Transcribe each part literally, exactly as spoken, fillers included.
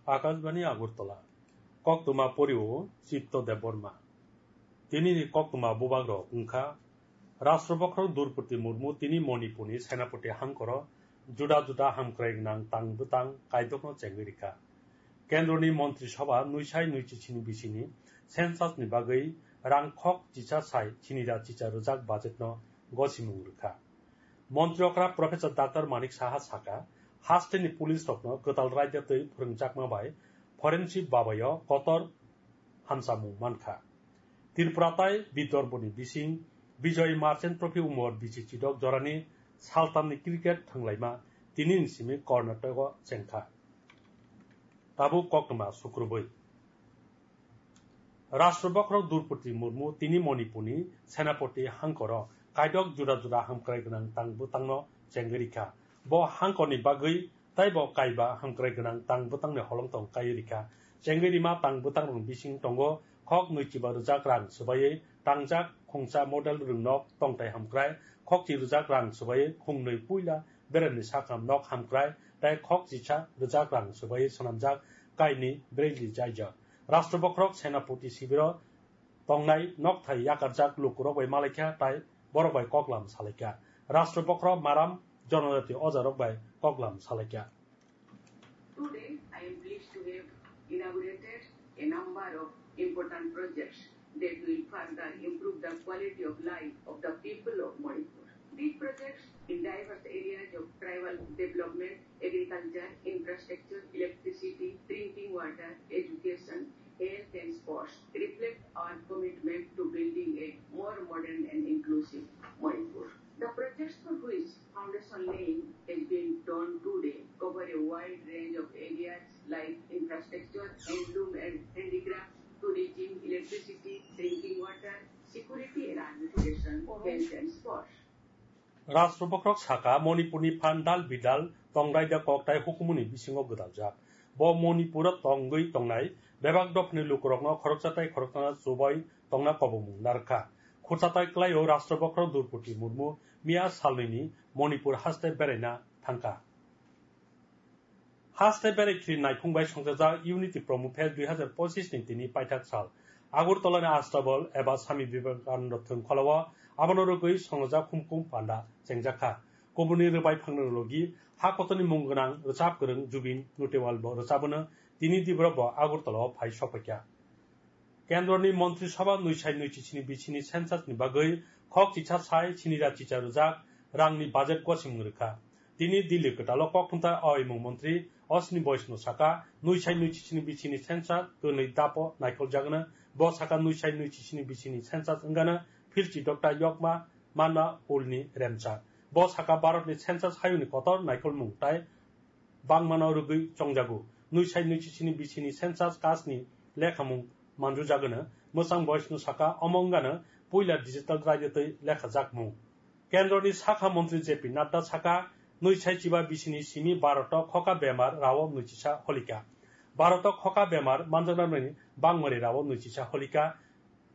Akashbani Agartala. Koktwma porio Chitto Debbarma. Tinini koktwma bubagrok wngkha Rashtra Bokhorok Droupadi Murmu, tini Manipurni Senapati hangkoro juda juda hamkrai gwnang tang bwtang kaidokno chengwi rikha. Kendroni Montri Sabha nui sai nui chichini bisini census ni bagwi rang khok chicha sai chinida chicha rwjak budget no gosimung rwkha. Montri okra Professor Doctor Manik Saha saka, hasteni police rokno kwtal raida twi phwrwngjakma bai forensic babayo kotor hamchamung mankha. Tripura tai Vidarbhani bising Bijoy Merchant Trophy umor bichi chidok jorani saltamni cricket thwnglaima tinini simi Karnataka chengkha. Tabuk koktwma sukrubui. Rashtra Bokhorok Droupadi Murmu tini Manipurni Senapati hangkoro kaidok juda juda hamkrai gwnang tang bwtangno chengwi rikha. Bo hangkorni bagwi taibo kaiba hamkrai gwnang tang bwtangni holongtong kaiwi rikha. Chengwi rima tang bwtangrokni bising tongo khok nui chiba rwjak rang swbaiwi tangjak khungsa model rwngnok tongthai hamkrai, khokchi rwjak rang swbaiwi khungnwi puila beremni sakam nok hamkrai tei khok chisa rwjak rang swbaiwi swnamjak kaini brigli jaijak. Rashtra Bokhorok Senapati sibiro tongnai nokthai yakarjak lukurok bai malaikha tei borok bai koklam salaikha. Rashtra Bokhorok Maram Jonojati ojarok bai koklam salaikha. Today, I am pleased to have inaugurated a number of important projects that will further improve the quality of life of the people of Manipur. These projects in diverse areas of tribal development, agriculture, infrastructure, electricity, drinking water, education, health and sports reflect our commitment to building a more modern and inclusive Manipur. The projects for which foundation laying has been done today cover a wide range of areas like infrastructure, handloom and handicraft, tourism, electricity, drinking water, security and administration, health and sports. Rashtra Bokhorok saka Manipurni phan dal bidal tongrai da kok tai hukumuni bisingo gwdaljak. Bo Manipuro tongwi tongnai bebak dophani lukurokno khoroksa tai khoroksa chubai tongna kobomung narwkha. Khursa tai kwlaio Rashtra Bokhorok Droupadi Murmu miya salnwini Manipur haste beraina thangkha. Haste berai khiri naiphung bai songchajak Unity Promo Fest dui hazar pochis ni tini paithak sal. Agartala ni Astabal eba Swami Vivekananda thwng kholao abono rwgwi songchajak humkum panda chengjakha. Kubuni rwbai phangno logi ha kotorni mung gwnang rwchap kwrwng Jubin Nautiyal bo rwchabono tini dibro bo Agartala o phai sokphaikha. Kendroni Montri Sabha nui sai nui chichini bichini census ni bagwi khok chicha sai chinida chicha rwjak rangni budget gosimung rwkha. Tini Delhi kwtalo kokthumthai aoimung montri Ashwini Vaishnaw saka, nui sai nui chichini bichini census kwnwi dapo naikholjagano. Bo saka nui sai nui chichini bichini census wngano philchi dokta yokma manna ulni remchak. Bo saka Bharatni census hayungni kotor naikholmung tai bangmano rwgwi chongjago. Nui sai nui chichini bichini census cast ni lekhamung manjujagano. Mwchang Vaishnaw saka omo wngano puila digital raida twi lekhajakmung. Kendroni sakha montri J P Nadda saka, nui sai chiba bichini simi Bharat o khoka bemar rao nui chisa holika. Bharat o khoka bemar manjaknani bangmani rao nui chisa holika.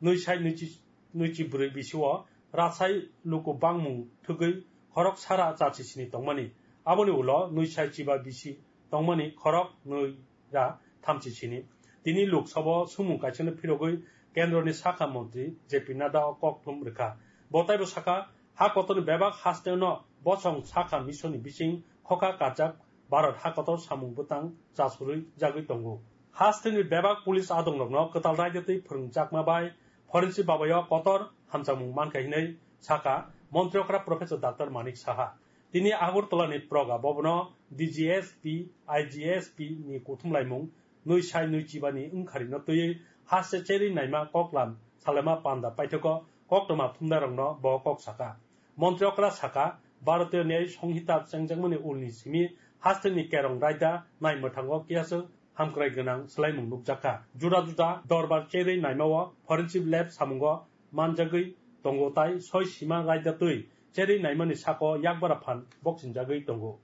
Nui sai nui chi-, nui chi brwi bisio rasai luku bangmung thwgwi khorok sara cha chisini tongmani. Aboni ulo nui sai chiba bisi tongmani khorok nui ra thamchi sini. Tini Lok Sabha o sumung kaisano phirogwi Kendroni sakha montri J P Nadda o kokthum rwkha. Bo taibo saka, ha kotorni bebak hasteo no bosong sakha misoni bising khoka kajak Bharat ha kotor samung bwtang chasurwi jagwi tongo. Hasteni bebak police adongrokno kwtal raida twi phwrwngjakma bai forensic babayo kotor hamjakmung mankha hinwi sakha montri okra Professor Doctor Manik Saha. Tini Agartala ni Praga Bhavan o D G S P, I G S P ni kuthumlaimung nui sai nui chibani wngkharino twiwi haste cherwi naima koklam salaima panda paithago koktwma thumnairokno bo kok saka. Montri okra saka, Bharatiya Nyay Sanhita chengjakmani ulni simi hasteni kerong raida nai mwthango kiyaswk hamkrai gwnang swlaimung nukjakha. Juda juda dorbar cherwi naimao forensic lab samungo manjagwi tongo tai soi sima raida twi cherwi naimani sako yakbara phan bokchinjagwi tongo.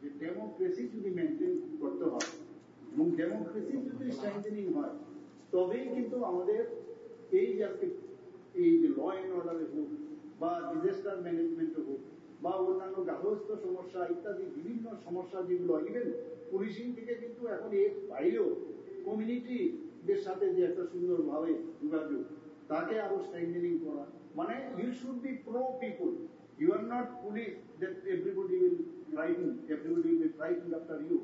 যে ডেমোক্রেসি যদি মেনটেন করতে হয় এবং ডেমোক্রেসি যদি স্ট্রেংথেনিং হয়, তবেই কিন্তু আমাদের এই যে আজকে এই যে ল অ্যান্ড অর্ডারে হোক বা ডিজাস্টার ম্যানেজমেন্টে হোক, বা অন্যান্য গার্হস্থ্য সমস্যা ইত্যাদি বিভিন্ন সমস্যা যেগুলো, ইভেন পুলিশিং থেকে কিন্তু এখন এর বাইরেও কমিউনিটিদের সাথে যে একটা সুন্দরভাবে যোগাযোগ, তাকে আরো স্ট্রেংথেনিং করা, মানে, you should be pro people. You are not police that everybody will frighten, everybody will be frightened after you.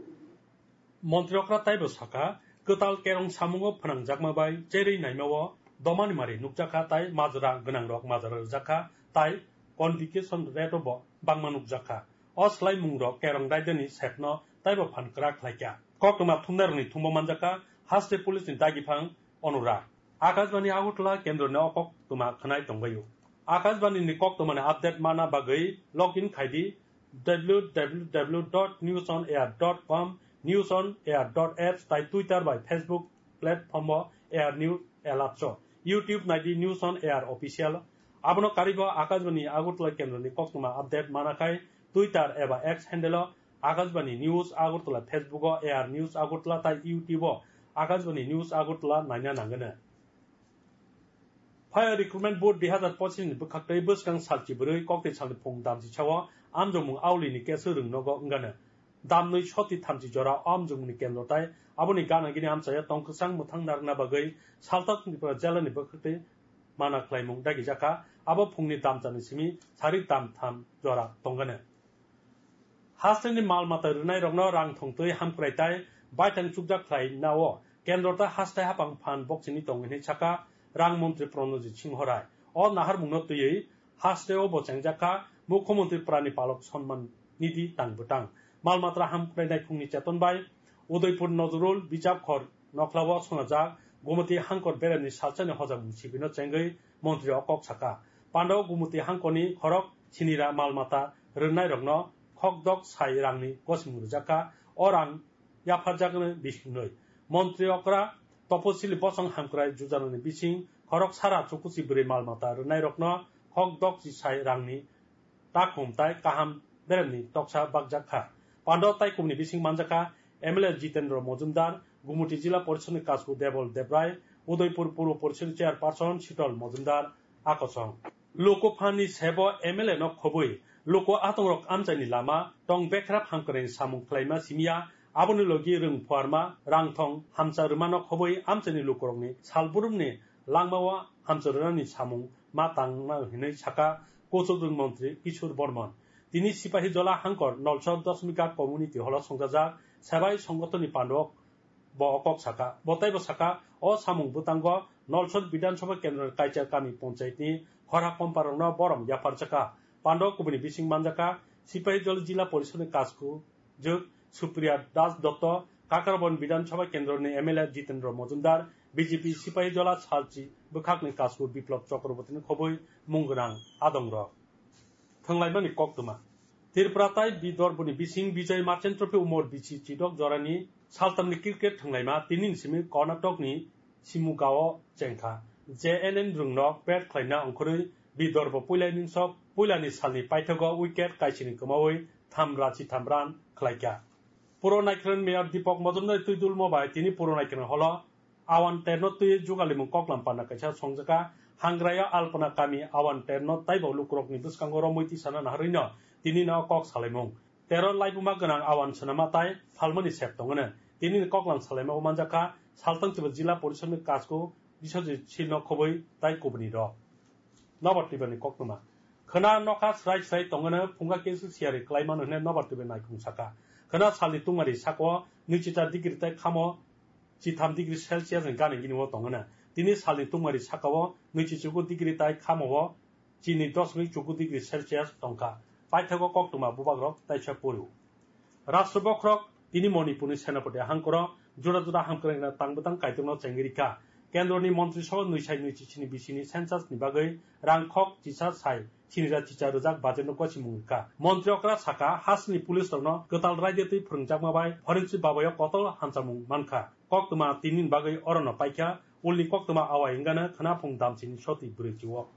Montri okra taibo sakha, kwtal kerong samungo phnangjakma bai cherwi naimao domani mari nukjakha tai majra gwnangrok majra rwjakha tai convocation rate-o bo bangma nukjakha. O swlaimungrok kerong raidani sepno taibo phan kwrak khlaikha. Koktwma thumnairokni thumbo manjakha haste police ni dagiphang Anurag. Akashbani Agartala kendroni o koktwma khwnai tongbaio. Akashbani ni koktwmani update mana bagwi log in khaidi w w w dot news on air dot com, news on air dot apps tai Twitter bai Facebook platform o Air News Alerts o. YouTube naidi News on Air Official. Abono karibo Akashbani Agartala kendroni koktwma update mana khai Twitter eba X handle o Akashbani News Agartala, Facebook o Air News Agartala tai YouTube o Akashbani News Agartala naina nangano. Fire Recruitment Board dui hazar pochis ni bwkhaktwi bwskang salchi bwrwi koktwi salni phung damchi sao amjokmung auli ni kesu rwng nogo wngano. Damnwi soti thamchi jora o amjokmungni kendro tai aboni gana gini amchaya tongkwsang mwthang narwkna bagwi Salta Tripura jela ni bwkhaktwi mana khlaimung dagijakha. Abo phungni damchani simi sarik damtham jora tongano. Hasteni mal mata rwnairokno rang thongtwi hamkrai tai baithang chukjak khlainao kendro tai hastai hapang phan boksini tongo hinwi sakha rang montri Pranojit Singho Rai. O naharmungno twiwi hasteo bo chengjakha Mukhyamantri Prani Palok Sonman Nidhi tang bwtang. Mal matra hamkrai naiphungni cheton bai Udaipur Nojrul Bijap Khor nokhlao sonajak Gumati Hangkor beremni salsani hojak sibino chengwi montri o kok sakha. Pandao Gumati Hangkorni khorok sinira mal mata rwnairokno khokdok sai rangni gosimung rwjakha. O rang yapharjakno bisingtwi. Montri okra toposili bosong hamkrai jujanani bising khorok sara chukuchi bwrwi mal mata rwnairokno khokdok chisai rangni takhum tai kaham beremni toksa bakjak kha. Pando tai kubuni bising manjakha M L A Jitendra Mojumdar, Gumuti Jila Porishod ni Kasku Debol Debrai, Udaipur Puro Porishod ni Chairperson Shitol Mojumdar, Akosong. Luku phan ni sebo M L A no khobwi luku atongrok amchaini lama tong bekhra phamkrai ni samung khlaima simiya, aboni logi rwng phuarma, rangthong, hamsa rwmano khobwi amchaini lukurokni salburumni langmao hamsa rwnani samung ma tangna hinwi sakha Kuchuk Rwng Montri Kishore Bormon. Tini Sipahijola Hangkor Nolsor Dosmika Community Hall o songjajak Sebai Songgothon ni pandok bo o kok sakha. Bo taibo sakha, o samung bwtango Nolsor Bidhan Sabha Kendroni Kaichar Kami Ponchayat ni khorha komparokno borom yapharjakha. Pando kubuni bising manjakha, Sipahijola Jila Porishod ni Kasku Jwk Supriya Das Dotto, Kakarabon Bidhan Sabha Kendroni M L A Jitendra Mojumdar, B J P Sipahijola Salchi bwkhakni Kasku Biplab Chakrabortini khobwi mung gwnang adongrok. Thwnglaimani koktwma. Tripura tai Bidorbo ni bising Bijoy Merchant Trophy Umor Bisi Chidok jorani saltamni cricket thwnglaima tinini simi Karnatokni Shimogao chengkha. J N N rwngnok bat khlaina ongkhorwi Bidorbo puilani ningsok puilani salni paithago wicket kaisini kwmawi tham rachi tham run khlaikha. Puro Naikharni Mayor Deepak Majumdar twi dulmo bai tini Puro Naikharni holo Awan terno twi jugalimung koklam panna kaisa songjakha. Hangraio Alpana kami Awan terno taibo lukurokni bwskango romwi tisana naharwino tinino kok salaimung. Tero laibuma gwnang Awan swnama tai phalmani sep tongwno. Tinini koklam salaima o manjakha Saltang Chiba Jila Porishodni Kasku Biswajit Silno khobwi tai kubuni rok. Nobar Tibrani koktwma. Khwna nokha srai srai tongwno phunga kesu siyari klaimano hwnwi Nobar Tibra naikhung sakha. Khwna salni tungmari sakao nwichita degree tai khamo chitham degree Celsius ni gana gini o tongwno. Tini salni tungmari sakao nwichi chuku degree tai khamo o chini dosmik chuku degree Celsius tongkha. Paithago koktwma bubagrok taisa poriu. Rashtra bokhorok tini Manipurni Senapati hangkoro juda juda hamkrai gwnang tang bwtang Kaitorno chengwi rikha. Kendroni Montri Sabha nwi sai nwi chisini bisini census ni bagwi rang khok chisa sai sinira chicha rwjak budget no gosimung rikha. Montri okra sakha, hasni police rokno kwtal raida twi phwrwngjakma bai forensic babayo kotor hamchamung mankha. Koktwma tinini bagwi orono paikha, ulni koktwma awai wngano khwnaphung damsini soti bwrwi chiwo.